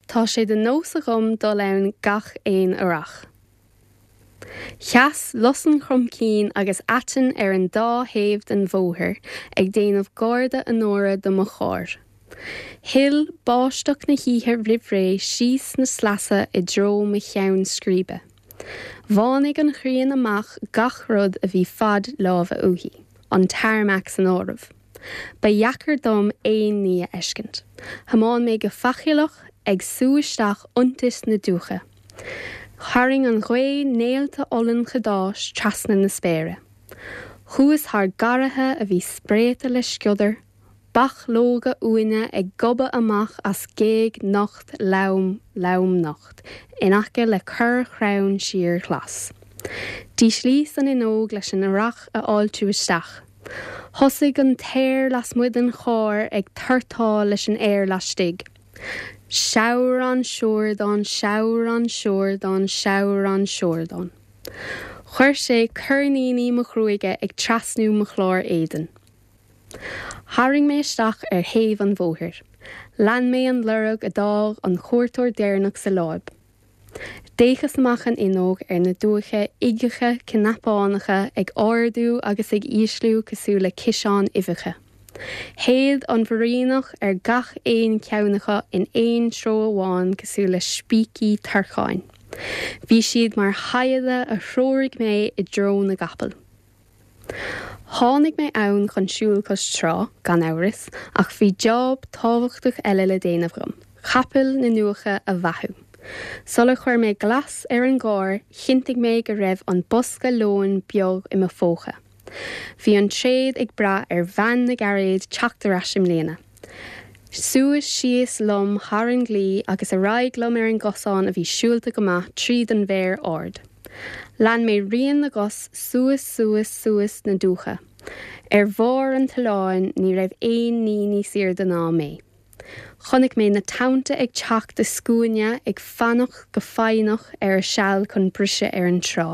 Tá sé de nós agam dul ann gach aon earrach. Sheas lus an chromchinn agus aiteann ar an dá thaobh den bhóthar ag déanamh garda onóra do mo charr. Shil báisteach na hoíche roimhré síos na sleasa i dtreo mo cheann scríbe. Bhánaigh an ghrian amach gach rud a bhí fad láimhe uaithi, an tarmac san áireamh. Ba dheacair dom aon ní a fheiscint. Thiomáin mé go faichilleach, ag sú isteach iontais na dúiche. Tharraing an ghaoth néalta olann chadáis trasna na spéire. Chuas thar garraithe a bhí spréite le sciodar, bachlóga uaine ag gobadh amach as géag nocht lom, lom nocht, in aice le corr-chrann síorghlas. D'íslíos an fhuinneog leis an earrach a fháiltiú isteach. Thosaigh an t-aer lasmuigh den charr ag tortáil leis an aer laistigh. Seabhrán siúrdán, seabhrán siúrdán, seabhrán siúrdán. Chuir sé coirníní mo ghruaige ag trasnú mo chlár éadain. Tharraing mé isteach ar thaobh an bhóthair. Lean mé an lorg a d'fhág an cuairteoir deireanach sa láib. D'fhéachas amach an fhuinneog ar na dumhcha uigeacha cnapánacha ag ardú agus ag ísliú cosúil le ciseáin uibheacha. Shéid an mhúiríneach ar gach aon cheann acu in aon treo amháin cosúil le spící torcáin. Bhí siad mar shaigheada a threoraigh mé i dtreo na gcapall. Tháinig mé ann chun siúl cois trá, gan amhras, ach bhí job tábhachtach eile le déanamh agam, capaill na ndumhcha a bheathú. Sular chuir mé glas ar an gcarr, chinntigh mé go raibh an bosca lóin beo i mo phóca. Bhí an tréad ag brath ar bhean na gcairéad teacht ar ais i mbliana. Suas síos liom thar an gclaí agus ar aghaidh liom ar an gcosán a bhí siúlta go maith tríd an bhféar ard. Lean mé rian na gcos suas suas suas na dumhcha. Ar bharr an tolláin ní raibh aon ní níos airde ná mé. Chonaic mé na tonnta ag teacht i scuaine ag fanacht go foighneach ar a seal chun briseadh ar an trá.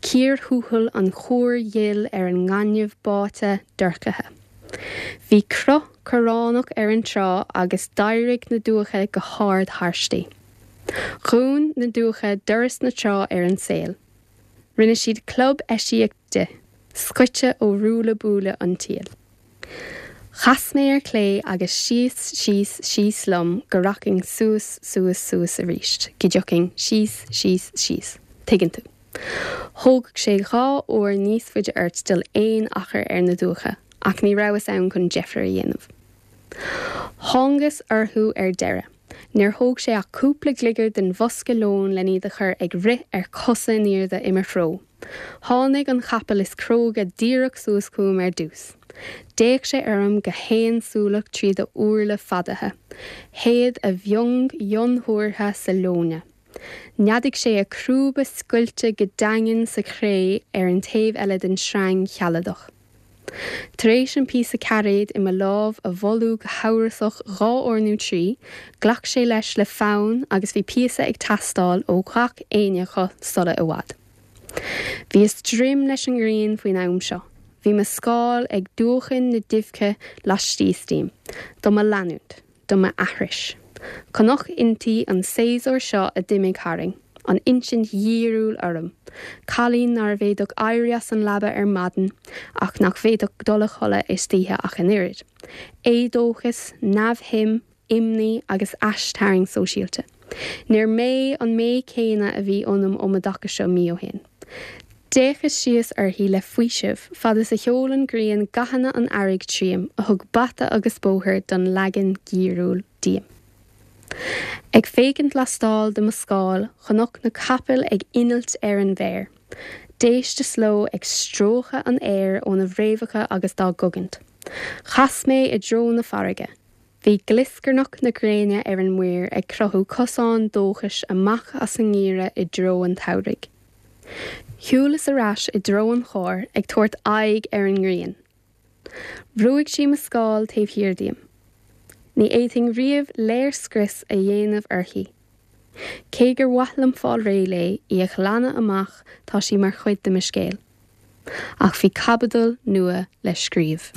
Cíor thuathail an chúir ghil ar an ngaineamh báite dorchaithe. Bhí cruth corránach ar an trá agus d'éirigh na dumhcha go hard thairsti. Dhún na dumhcha doras na trá ar an saol. Rinne siad club eisiach di, scoite ó ruaille buaille an tsaoil. Chas mé ar clé agus síos, síos, síos liom go rachainn suas, suas, suas arís, go dtiocfainn síos, síos, síos. Tuigeann tú. Thógfadh sé 2 uair níos faide ort dul aon achar ar na dumhcha, ach ní rabhas ann chun deifir a dhéanamh. Thángas orthu ar deireadh. Níor thóg sé ach cúpla gliogar den bhosca lóin len iad a chur ag rith ar cosa in airde i mo threo. Tháinig an capall is cróga díreach suas chugam ar dtús. D'fhéach sé orm go haonsúileach tríd a úrla fadaithe. Shéid a mhiong fhionnthuartha sa leoithne. Neadaigh sé a chrúba scoilte go daingean sa chré ar an taobh eile den sreang shealadach. Tar éis an píosa cairéid i mo lámh a bholú go hamhrasach 2 uair nó 3, ghlac sé leis le fonn agus bhí píosa ag teastáil ó ghach éinne acu sula i bhfad. Bhíos droim leis an ngrian faoin am seo. Bhí mo scáil ag dúchan na duimhche laistíos díom, do mo leanúint. do m'aithris. Chonac inti an séasúr seo a d'imigh tharainn, an insint dhíriúil orm, cailín nárbh fhéadfadh éirí as an leaba ar maidin ach nach bhféadfadh dul a chodladh istoíche ach an oiread. Éadóchas, neamhshuim, imní agus aistarraingt sóisialta. Níor mé an mé céanna a bhí ionam um an dtaca seo mí ó shin. D'fhéachas síos uirthi le faoiseamh, fad is a sheol an ghrian gathanna an earraigh tríom, a thug bata agus bóthar don leagan geimhriúil díom. Ag féachaint lastall de mo scáil, chonac na capaill ag innilt ar an bhféar. D'éisteas leo ag stróiceadh an aeir óna bhfréamhacha agus dá gcogaint. Chas mé i dtreo na farraige. Bhí glioscarnach na gréine ar an muir ag cruthú cosán dóchais amach as an ngeimhreadh i dtreo an tsamhraidh. Shiúlas ar ais i dtreo an chairr ag tabhairt aghaidh ar an ngrian. Bhrúigh sí mo scáil taobh thiar díom. Ní fhéadfainn riamh léirscrios a dhéanamh uirthi. Cé gur mhaith liom fáil réidh léi, í a ghlanadh amach, tá sí mar chuid de mo scéal. Ach bhí caibidil nua le scríobh.